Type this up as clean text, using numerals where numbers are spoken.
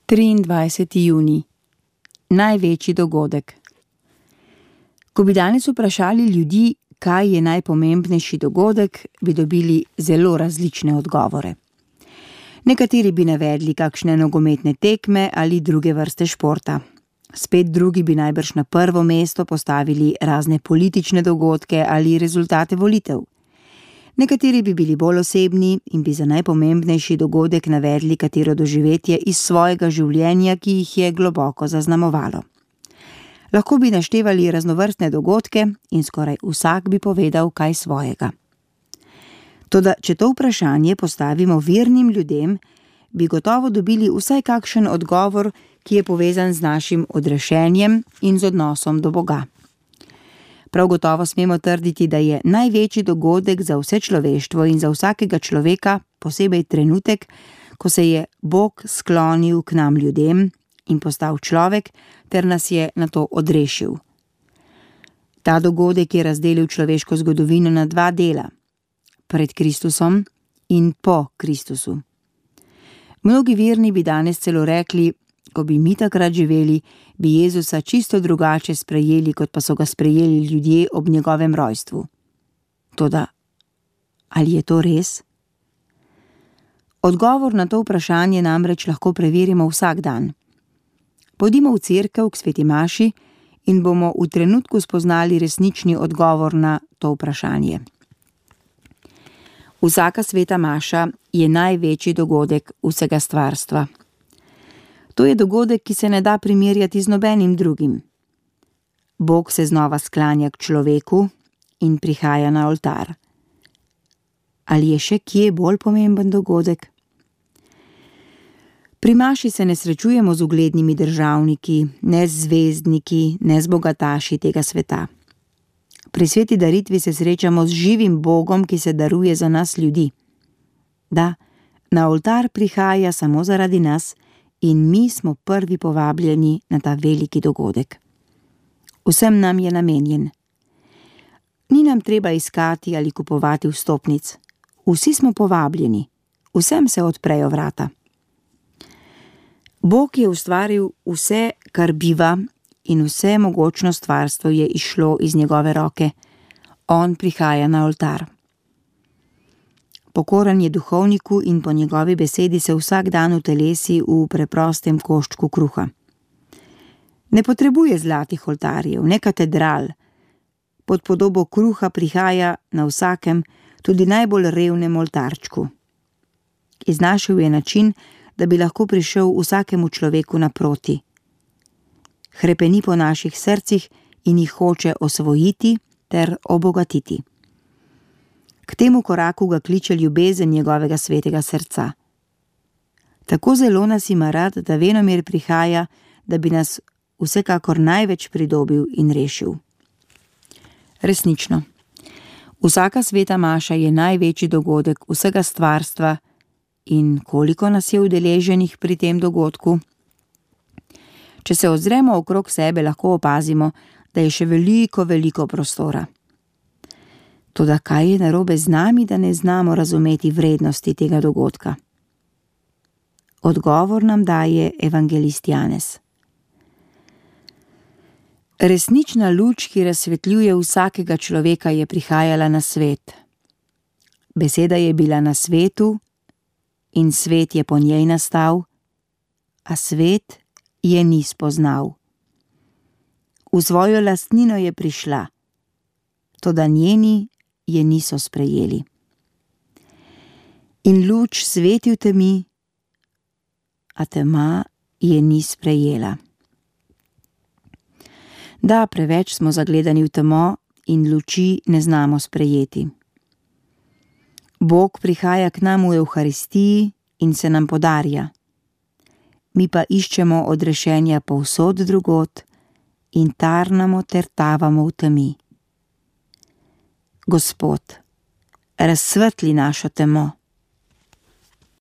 23. junij. Največji dogodek. Ko bi danes vprašali ljudi, kaj je najpomembnejši dogodek, bi dobili zelo različne odgovore. Nekateri bi navedli kakšne nogometne tekme ali druge vrste športa. Spet drugi bi najbrž na prvo mesto postavili razne politične dogodke ali rezultate volitev. Nekateri bi bili bolj osebni in bi za najpomembnejši dogodek navedli katero doživetje iz svojega življenja, ki jih je globoko zaznamovalo. Lahko bi naštevali raznovrstne dogodke in skoraj vsak bi povedal kaj svojega. Toda, če to vprašanje postavimo vernim ljudem, bi gotovo dobili vsaj kakšen odgovor, ki je povezan z našim odrešenjem in z odnosom do Boga. Prav gotovo smemo trditi, da je največji dogodek za vse človeštvo in za vsakega človeka posebej trenutek, ko se je Bog sklonil k nam ljudem in postal človek ter nas je nato odrešil. Ta dogodek je razdelil človeško zgodovino na dva dela, pred Kristusom in po Kristusu. Mnogi verni bi danes celo rekli, ko bi mi takrat živeli, bi Jezusa čisto drugače sprejeli, kot pa so ga sprejeli ljudje ob njegovem rojstvu. Toda, ali je to res? Odgovor na to vprašanje namreč lahko preverimo vsak dan. Pojdimo v cerkev k sveti maši in bomo v trenutku spoznali resnični odgovor na to vprašanje. Vsaka sveta maša je največji dogodek vsega stvarstva. To je dogodek, ki se ne da primerjati z nobenim drugim. Bog se znova sklanja k človeku in prihaja na oltar. Ali je še kje bolj pomemben dogodek? Pri maši se ne srečujemo z uglednimi državniki, ne z zvezdniki, ne z bogataši tega sveta. Pri sveti daritvi se srečamo z živim Bogom, ki se daruje za nas ljudi. Da, na oltar prihaja samo zaradi nas in mi smo prvi povabljeni na ta veliki dogodek. Vsem nam je namenjen. Ni nam treba iskati ali kupovati vstopnic. Vsi smo povabljeni. Vsem se odprejo vrata. Bog je ustvaril vse, kar biva, in vse mogočno stvarstvo je izšlo iz njegove roke. On prihaja na oltar. Pokoran je duhovniku in po njegovi besedi se vsak dan utelesi v preprostem koščku kruha. Ne potrebuje zlatih oltarjev, ne katedral. Pod podobo kruha prihaja na vsakem, tudi najbolj revnem oltarčku. Iznašel je način, da bi lahko prišel vsakemu človeku naproti. Hrepeni po naših srcih in jih hoče osvojiti ter obogatiti. K temu koraku ga kliče ljubezen njegovega svetega srca. Tako zelo nas ima rad, da venomer prihaja, da bi nas vsekakor največ pridobil in rešil. Resnično, vsaka sveta maša je največji dogodek vsega stvarstva in koliko nas je udeleženih pri tem dogodku? Če se ozremo okrog sebe, lahko opazimo, da je še veliko prostora. Toda kaj je narobe z nami, da ne znamo razumeti vrednosti tega dogodka? Odgovor nam daje evangelist Janez. Resnična luč, ki razsvetljuje vsakega človeka, je prihajala na svet. Beseda je bila na svetu in svet je po njej nastal, a svet je ni spoznal. V svojo lastnino je prišla, toda njeni je niso sprejeli. In luč sveti v temi, a tema je ni sprejela. Da, preveč smo zagledani v temo in luči ne znamo sprejeti. Bog prihaja k nam v Evharistiji in se nam podarja. Mi pa iščemo odrešenja povsod drugod in tarnamo ter tavamo v temi. Gospod, razsvetli našo temo.